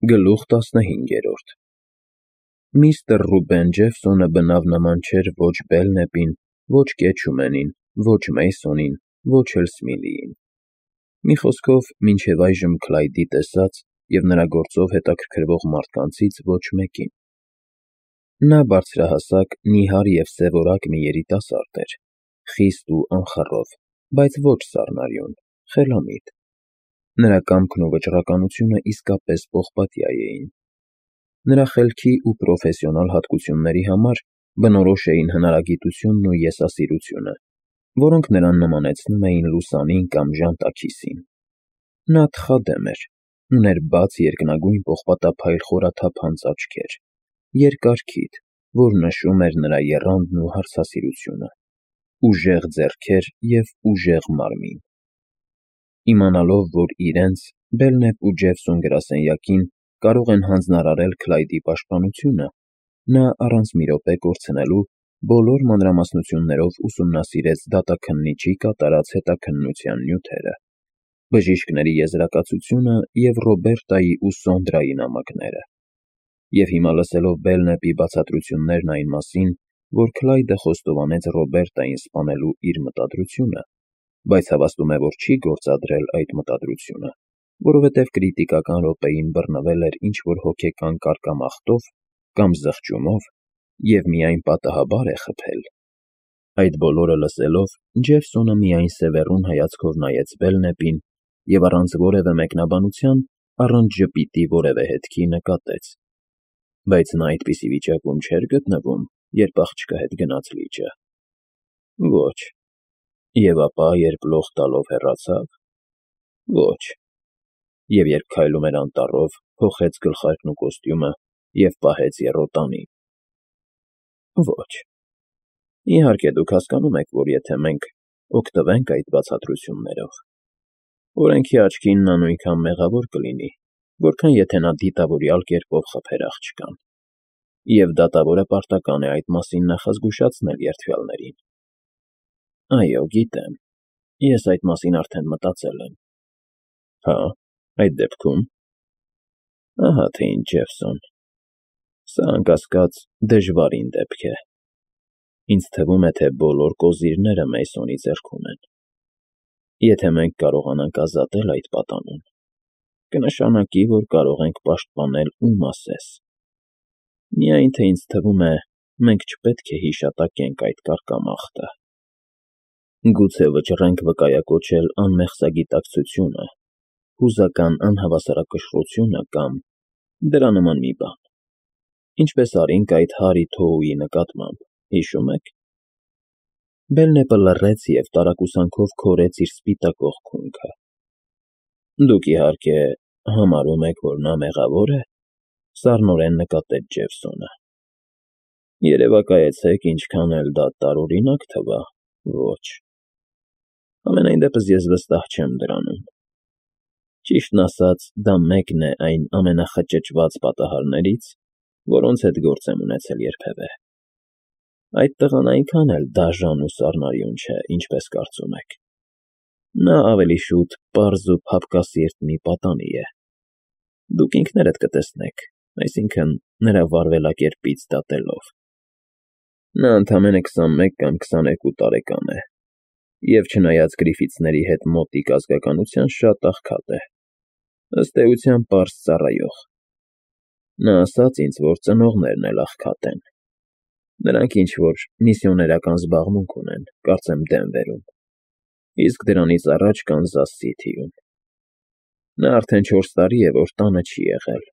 Գլուխ 15 Միստր Ռուբեն Ջեֆսոնը բնավ նման չէր ոչ Բելնեպին, ոչ Կեչումենին, ոչ Մեյսոնին, ոչ էլ Սմիլիին։ Մի խոսքով, մինչև այժմ Քլայդի տեսած և նրա գործով հետաքրքրվող մարդկանցից ոչ մեկին։ Նա բարձրահասակ, նիհար և սևորակ մի երիտասարդ էր, խիստ ու անխռով, բայց ոչ սառնարյուն, խելամիտ։ Նրա կամքն ու վճռականությունը իսկապես պողպատյա էին։ Նրա խելքի ու պրոֆեսիոնալ հատկությունների համար բնորոշ էին հնարագիտությունն ու եսասիրությունը, որոնք նրան նմանեցնում էին լուսանին կամ ժանտաքիսին։ Նա թխադեմ էր, ուներ բաց երկնագույն պողպատափայլ խորաթափ հանծաչքեր, երկար քիթ, որ նշում էր նրա եռանդն ու հարցասիրությունը, ուժեղ ձեռքեր և ուժեղ մարմին։ Իմանալով, որ իրենց՝ Բելնեպ ու Ջեֆսոն գրասենյակին կարող են հանձնարարել Քլայդի պաշտպանությունը, նա առանց մի րոպե կորցնելու բոլոր մանրամասնություններով ուսումնասիրեց դատաքննիչի կատարած հետաքննության նյութերը, բժիշկների եզրակացությունը և Ռոբերտայի ու Սոնդրայի նամակները։ Եվ հիմա լսելով Բելնեպի բացատրություններն այն մասին, որ Քլայդը խոստովանեց Ռոբերտային սպանելու իր մտադրությունը, բայց հավաստում է, որ չի գործադրել այդ մտադրությունը, որովհետև կրիտիկական րոպեին բռնվել էր ինչ-որ հոգեկան կարկամախտով կամ զղջումով և միայն պատահաբար է խփել։ Այդ բոլորը լսելով, Ջեֆսոնը միայն սևեռուն հայացքով նայեց Բելնեպին և առանց որևէ մեկնաբանության, առանց ժպիտի որևէ հետքի նկատեց. Բայց նա այդպիսի վիճակում չէր գտնվում, երբ աղջկա հետ գնաց լիճը։ Ոչ։ Եվ ապա, երբ լող տալով հեռացավ։ Ոչ։ Եվ երբ քայլում էր անտառով, փոխեց գլխարկն ու կոստյումը և պահեց եռոտանի։ Ոչ։ Իհարկե, դուք հասկանում եք, որ եթե մենք օգտվենք այդ բացատրություններով, օրենքի աչքին նա նույնքան մեղավոր կլինի, որքան եթե նա դիտավորյալ կերպով խփեր աղջկան, և դատավորը պարտական է այդ մասին նախազգուշացնել երդվյալներին։ Այո, գիտեմ, ես այդ մասին արդեն մտածել եմ։ Հա, այդ դեպքում… Ահա թե ինչ, Ջեֆսոն, սա, անկասկած, դժվարին դեպք է։ Ինձ թվում է, թե բոլոր կոզիրները Մեյսոնի ձեռքում են։ Եթե մենք կարողանանք ազատել այդ պատանուն, կնշանակի, որ կարող ենք պաշտպանել ում ասես։ Միայն թե ինձ թվում է, մենք չպետք է հիշատակենք այդ կարկամախտը։ Գուցե վճռենք վկայակոչել անմեղսագիտակցությունը, հուզական անհավասարակշռությունը կամ դրա նման մի բան, ինչպես արինք այդ Հարի Թոուի նկատմամբ, հիշո՞ւմ եք։ Բելնեպը լռեց և տարակուսանքով քորեց իր սպիտակ օղքունքը։ Դուք, իհարկե, համարում եք, որ նա մեղավոր է, սառնորեն նկատեց Ջեֆսոնը։ Երևակայեցեք, ինչքան էլ դա տարօրինակ թվա, ոչ։ Համենայն դեպս ես վստահ չեմ դրանում։ Ճիշտն ասած, դա մեկն է այն ամենախճճված պատահարներից, որոնց հետ գործ եմ ունեցել երբևէ։ Այդ տղան այնքան էլ դաժան ու սառնարյուն չէ, ինչպես կարծում եք։ Նա ավելի շուտ պարզ ու փափկասիրտ մի պատանի է։ Դուք ինքներդ կտեսնեք, այսինքն՝ նրա վարվելակերպից դատելով։ Նա ընդամենը 21 կամ 22 տարեկան է, և չնայած Գրիֆիթսների հետ մոտիկ ազգականության, շատ աղքատ է, ըստ էության պարզ ծառայող։ Նա ասաց ինձ, որ ծնողներն էլ աղքատ են։ Նրանք ինչ-որ միսիոներական զբաղմունք ունեն, կարծեմ Դենվերում, իսկ դրանից առաջ Կանզաս Սիթիում։ Նա արդեն 4 տարի է, որ տանը չի եղել։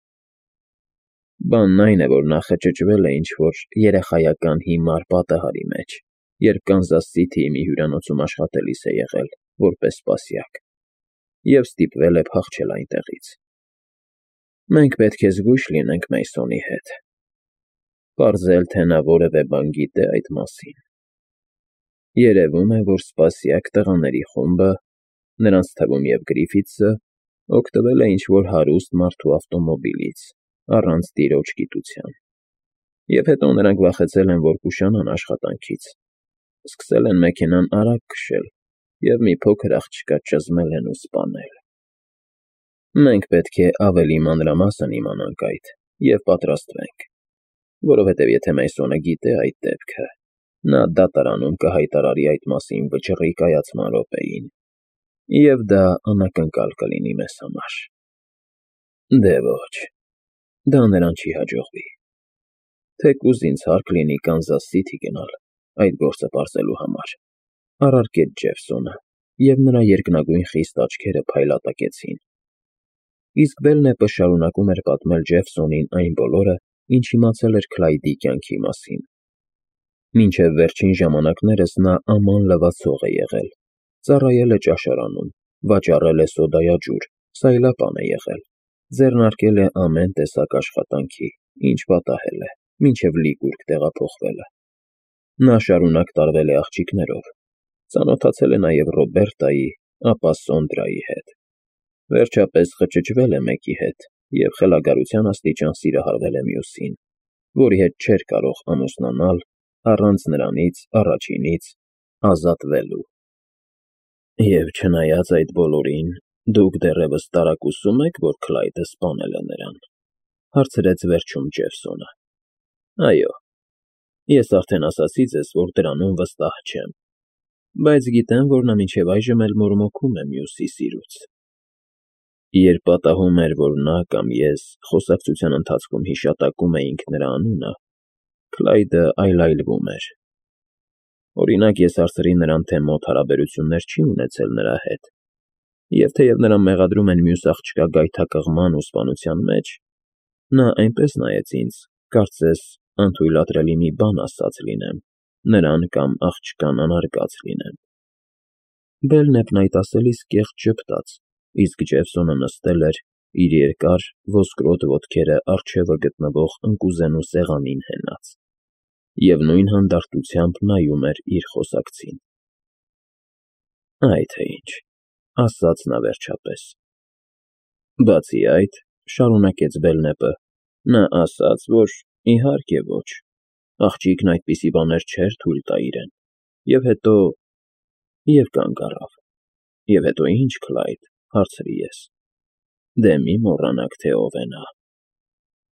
Բանն այն է, որ նա խճճվել է ինչ-որ երեխայական հիմար պատահարի մեջ, երբ Կանզաս Սիթիի մի հյուրանոցում աշխատելիս է եղել, որպես սպասյակ, և ստիպվել է փախչել այնտեղից։ Մենք պետք է զգույշ լինենք Մեյսոնի հետ։ Պարզել, թե նա որևէ բան գիտե այդ մասին։ Երևում է, որ սպասյակ տղաների խումբը, նրանց թվում և Գրիֆիթսը, օգտվել է ինչ-որ հարուստ մարդու ավտոմոբիլից, առանց տիրոջ գիտության։ Եվ հետո նրանք վախեցել են, որ կուշանան աշխատանքից, սկսել են մեքենան արագ քշել և մի փոքր աղջկա ճզմել են ու սպանել։ Մենք պետք է ավելի մանրամասն իմանանք այդ և պատրաստվենք, որովհետև եթե Մեյսոնը գիտե այդ դեպքը, նա դատարանում կհայտարարի այդ մասին վճռի կայացման րոպեին, և դա անակնկալ կլինի մեզ համար։ Դե ոչ, դա նրան չի հաջողվի։ Թեկուզ ինձ հարկ լինի Կանզաս Սիթի գնալ այդ գործը պարզելու համար, առարկեց Ջեֆսոնը, և նրա երկնագույն խիստ աչքերը փայլատակեցին։ Իսկ Բելնեպը շարունակում էր պատմել Ջեֆսոնին այն բոլորը, ինչ իմացել էր Քլայդի կյանքի մասին։ Մինչև վերջին ժամանակներս նա աման լվացող է եղել, ծառայել է ճաշարանում, վաճառել է սոդայաջուր, սայլապան է եղել, ձեռնարկել է ամեն տեսակ աշխատանքի, ինչ պատահել է, մինչև Լիկուրգ տեղափոխվելը։ Նա շարունակ տարվել է աղջիկներով, ծանոթացել է նաև Ռոբերտայի, ապա Սոնդրայի հետ։ Վերջապես խճճվել է մեկի հետ և խելագարության աստիճան սիրահարվել է մյուսին, որի հետ չէր կարող ամուսնանալ առանց նրանից առաջինից ազատվելու։ Եվ չնայած այդ բոլորին, դուք դեռևս տարակուսում եք, որ Քլայդը սպանել է նրան, հարցրեց վերջում Ջեֆսոնը։ Այո, ես արդեն ասացի ձեզ, որ դրանում վստահ չեմ, բայց գիտեմ, որ նա մինչև այժմ էլ մորմոքում է մյուսի սիրուց։ Երբ պատահում էր, որ նա կամ ես խոսակցության ընթացքում հիշատակում էինք նրա անունը, Քլայդը այլայլվում էր։ Օրինակ, ես հարցրի նրան, թե մոտ հարաբերություններ չի ունեցել նրա հետ, և թեև նրան մեղադրում են մյուս աղջկա գայթակղման ու սպանության մեջ, նա այնպես նայեց ինձ, կարծես անթույլատրելի մի բան ասած լինեմ, նրան կամ աղջկան անարգած լինեմ։ Բելնեպն այդ ասելիս կեղծ ժպտաց, իսկ Ջեֆսոնը նստել էր, իր երկար, ոսկրոտ ոտքերը առջևը գտնվող ընկուզենու սեղանին հենած, և նույն հանդարտությամբ նայում էր իր խոսակցին։ Այ թե ինչ, ասաց նա վերջապես։ Բացի այդ, շարունակեց Բելնեպը, նա ասաց, որ իհարկե ոչ, աղջիկն այդպիսի բաներ չէր թույլ տա իրեն, և հետո… Եվ կանգ առավ։ Եվ հետո ի՞նչ, Քլայդ, հարցրի ես։ Դե մի մոռանաք, թե ով է նա։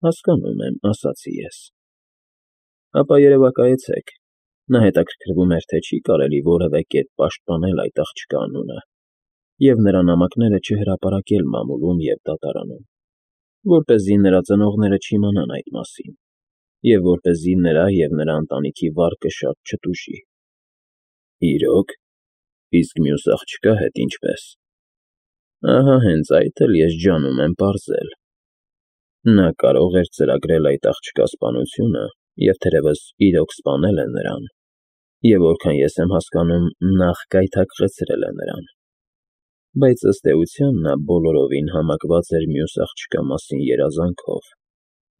Հասկանում եմ, ասացի ես։ Ապա երևակայեցեք, նա հետաքրքրվում էր, թե չի կարելի որևէ կերպ պաշտպանել այդ աղջկա անունը և նրա նամակները չհրապարակել մամուլում և դատարանում, որպեսզի նրա ծնողները չիմանան այդ մասին, և որպեսզի նրա և նրա ընտանիքի վարկը շատ չտուժի։ Իրո՞ք, իսկ մյուս աղջկա հետ ինչպե՞ս։ Ահա հենց այդ էլ ես ջանում եմ պարզել։ Նա կարող էր ծրագրել այդ աղջկա սպանությունը և թերևս իրոք սպանել է նրան, և որքան ես եմ հասկանում, նախ գայթակղեցրել է նրան, բայց ըստ էության նա բոլորովին համակված էր մյուս աղջկա մասին երազանքով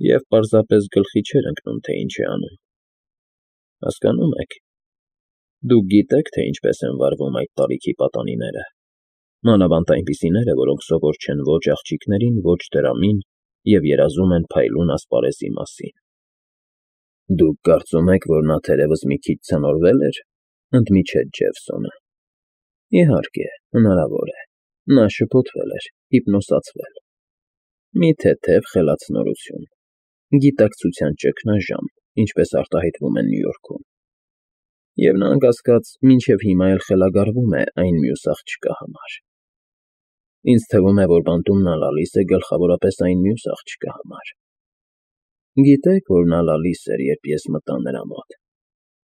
և պարզապես գլխի չէր ընկնում, թե ինչ է անում։ Հասկանո՞ւմ եք։ Դուք գիտեք, թե ինչպես են վարվում այդ տարիքի պատանիները, մանավանդ այնպիսիները, որոնք սովոր չեն ոչ աղջիկներին, ոչ դրամին և երազում են փայլուն ասպարեզի մասին։ Դուք կարծում եք, որ նա թերևս մի քիչ ցնորվել էր, ընդմիջեց Ջեֆսոնը։ Իհարկե, հնարավոր է, նա շփոթվել էր, հիպնոսացվել։ Մի թեթև խելացնորություն, գիտակցության ճգնաժամ, ինչպես արտահայտվում են Նյու Յորքում։ Եվ նա, անկասկած, մինչև հիմա էլ խելագարվում է այն մյուս աղջկա համար։ Ինձ թվում է, որ բանտումն լալիս է գլխավորապես այն մյուս աղջկա համար։ Գիտեք, որ նա լալիս էր, երբ ես մտա նրա մոտ։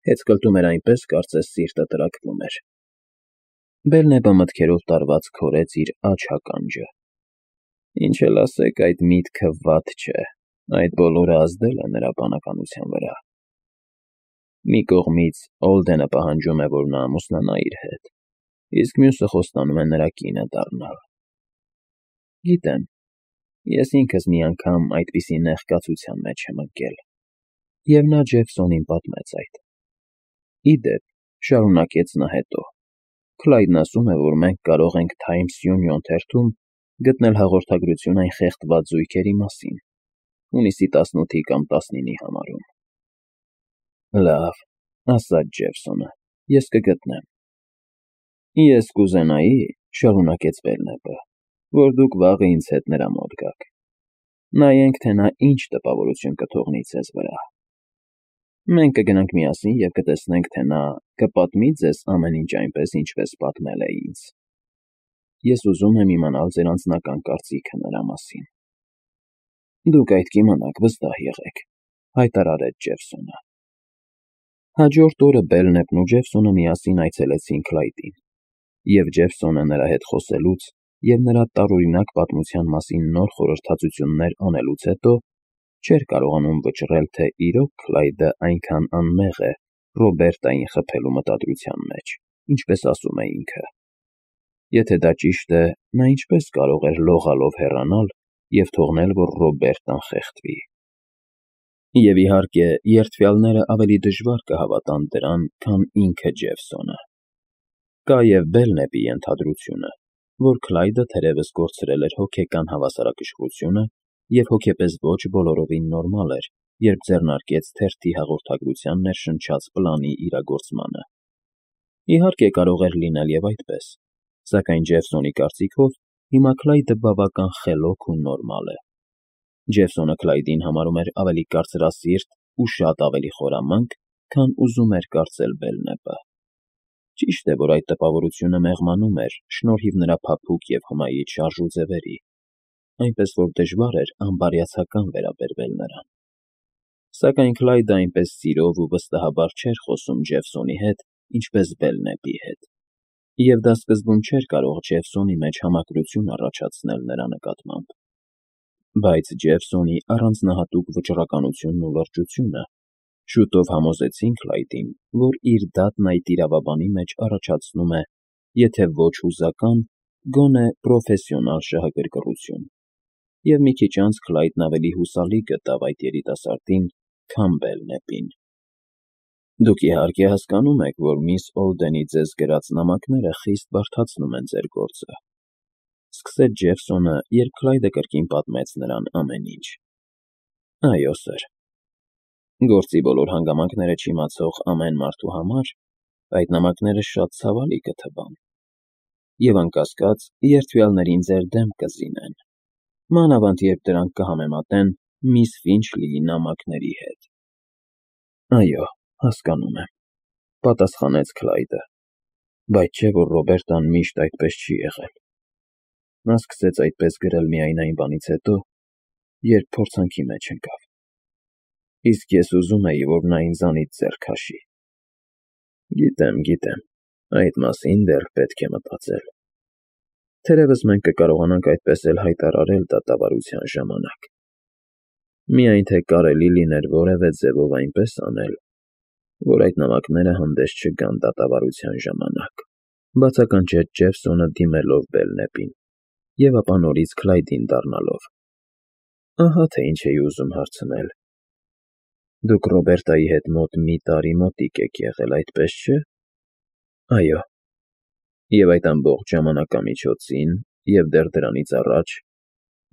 Հեծկլտում էր այնպես, կարծես սիրտը տրաքվում էր։ Բելնեպը մտքերով տարված քորեց իր աջ ականջը։ Ինչ էլ ասեք, այդ միտքը վատ չէ, այդ բոլորը ազդել է նրա բանականության վրա։ Մի կողմից Օլդենը պահանջում է, որ նա ամուսնանա իր հետ, իսկ մյուսը խոստանում է նրա կինը դառնալ։ Գիտեմ, ես ինքս մի անգամ այդպիսի նեղ կացության մեջ եմ ընկել, և նա Ջեֆսոնին պատմեց այդ։ Ի դեպ, շարունակեց նա հետո, Քլայդն ասում է, որ մենք կարող ենք Times Union թերթում գտնել հաղորդագրություն այն խեղդված զույգերի մասին, հունիսի 18-ի կամ 19-ի համարում։ Լավ, ասաց Ջեֆսոնը, ես կգտնեմ։ Ես կուզենայի, շարունակեց Բելնեպը, որ դուք վաղը ինձ հետ նրա մոտ գաք։ Նայենք, թե նա ինչ տպավորություն կթողնի ձեզ վրա։ Մենք կգնանք միասին և կտեսնենք, թե նա կպատմի ձեզ ամեն ինչ այնպես, ինչպես պատմել է ինձ։ Ես ուզում եմ իմանալ ձեր անձնական կարծիքը նրա մասին։ Դուք այդ կիմանաք, վստահ եղեք, հայտարարեց Ջեֆսոնը։ Հաջորդ օրը Բելնեպն ու Ջեֆսոնը միասին այցելեցին Քլայդին, և Ջեֆսոնը նրա հետ խոսելուց և նրա տարօրինակ պատմության մասին նոր խորհրդածություններ անելուց հետո չէր կարողանում վճռել, թե իրոք Քլայդը այնքան անմեղ է Ռոբերտային խփելու մտադրության մեջ, ինչպես ասում է ինքը։ Եթե դա ճիշտ է, նա ինչպես կարող էր լողալով հեռանալ և թողնել, որ Ռոբերտան խեղդվի։ Եվ իհարկե, երդվյալները ավելի դժվար կհավատան դրան, քան ինքը Ջեֆսոնը։ Կա և Բելնեպի ենթադրությունը, որ Քլայդը թերևս կորցրել էր հոգեկան հավասարակշռությունը և հոգեպես ոչ բոլորովին նորմալ էր, երբ ձեռնարկեց թերթի հաղորդագրության ներշնչած պլանի իրագործմանը։ Իհարկե, կարող էր լինել և այդպես, սակայն Ջեֆսոնի կարծիքով հիմա Քլայդը բավական խելոք ու նորմալ է։ Ջեֆսոնը Քլայդին համարում էր ավելի կարծրասիրտ ու շատ ավելի խորամանկ, քան ուզում էր կարծել Բելնեպը։ Ճիշտ է, որ այդ տպավորությունը մեղմանում էր շնորհիվ նրա փափուկ և հմայիչ շարժուձևերի, այնպես որ դժվար էր անբարյացակամ վերաբերվել նրան։ Սակայն Քլայդը այնպես սիրով ու վստահաբար չէր խոսում Ջեֆսոնի հետ, ինչպես Բելնեպի հետ, և դա սկզբում չէր կարող Ջեֆսոնի մեջ համակրություն առաջացնել նրա նկատմամբ։ Բայց Ջեֆսոնի առանձնահատուկ վճռականությունն ու լրջությունը շուտով համոզեցին Քլայդին, որ իր դատն այդ իրավաբանի մեջ առաջացնում է, եթե ոչ հուզական, գոնե պրոֆեսիոնալ շահագրգռություն, և մի քիչ անց Քլայդն ավելի հուսալի գտավ այդ երիտասարդին, քան Բելնեպին։ Դուք իհարկե հասկանում եք, որ միս Օլդենի ձեզ գրած նամակները խիստ բարդացնում են ձեր գործը, սկսեց Ջեֆսոնը, երբ Քլայդը կրկին պատմեց նրան ամեն ինչ։ Այո, սըր։ Գործի բոլոր հանգամանքները չիմացող ամեն մարդու համար այդ նամակները շատ ցավալի կթվան, և անկասկած երդվյալներին ձեր դեմ կզինեն, մանավանդ երբ դրանք կհամեմատեն միս Ֆինչլիի նամակների հետ։ Այո, հասկանում եմ, պատասխանեց Քլայդը, բայց չէ՞ որ Ռոբերտան միշտ այդպես չի եղել։ Նա սկսեց այդպես գրել միայն այն բանից հետո, երբ փորձանքի մեջ ընկավ։ Իսկ ես ուզում էի, որ նա ինձանից ձեռ քաշի։ Գիտեմ, այդ մասին դեռ պետք է մտածել։ Թերևս մենք կկարողանանք այդպես էլ հայտարարել դատավարության ժամանակ։ Միայն թե կարելի լիներ որևէ ձևով այնպես անել, որ այդ նամակները հանդես չգան դատավարության ժամանակ, բացականչեց Ջեֆսոնը դիմելով Բելնեպին, և ապա նորից Քլայդին դառնալով։ Ահա թե ինչ էի ուզում հարցնել. Դուք Ռոբերտայի հետ մոտ մի տարի մոտիկ եք եղել, այդպես չէ՞։ Այո։ Եվ այդ ամբողջ ժամանակամիջոցին և դեռ դրանից առաջ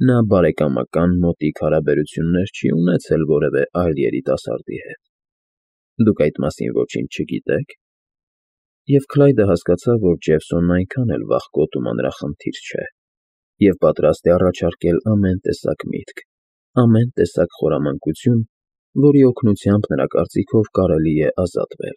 նա բարեկամական մոտիկ հարաբերություններ չի ունեցել որևէ այլ երիտասարդի հետ։ Դուք այդ մասին ոչինչ չգիտե՞ք։ Եվ Քլայդը հասկացավ, որ Ջեֆսոնն այնքան էլ վախկոտ ու մանրախնդիր չէ, և պատրաստ է առաջարկել ամեն տեսակ միտք, ամեն տեսակ խորամանկություն, որի օգնությամբ նրա կարծիքով կարելի է ազատվել։